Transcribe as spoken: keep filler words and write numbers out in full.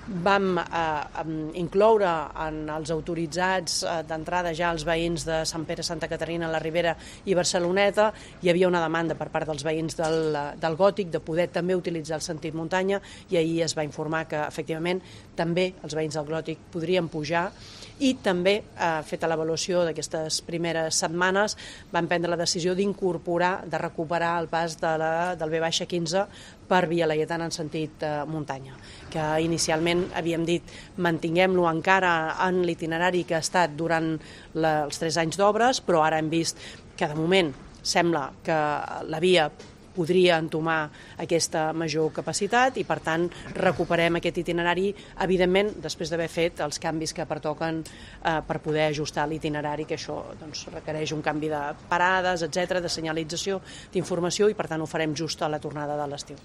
vam eh, incloure en els autoritzats eh, d'entrada ja els veïns de Sant Pere, Santa Caterina, la Ribera i Barceloneta. Hi havia una demanda per part dels veïns del, del Gòtic de poder també utilitzar el sentit muntanya i ahir es va informar que efectivament també els veïns del Gòtic podrien pujar i també, eh, feta l'avaluació d'aquestes primeres setmanes, van prendre la decisió d'incorporar, de recuperar el pas de la, del V quinze per Via Laietana en sentit eh, muntanya, que inicialment havíem dit mantinguem-lo encara en l'itinerari que ha estat durant la, els tres anys d'obres, però ara hem vist que de moment sembla que la via podria entomar aquesta major capacitat i per tant recuperem aquest itinerari, evidentment després d'haver fet els canvis que pertoquen eh, per poder ajustar l'itinerari, que això doncs, requereix un canvi de parades, etcètera, de senyalització, d'informació i per tant ho farem just a la tornada de l'estiu.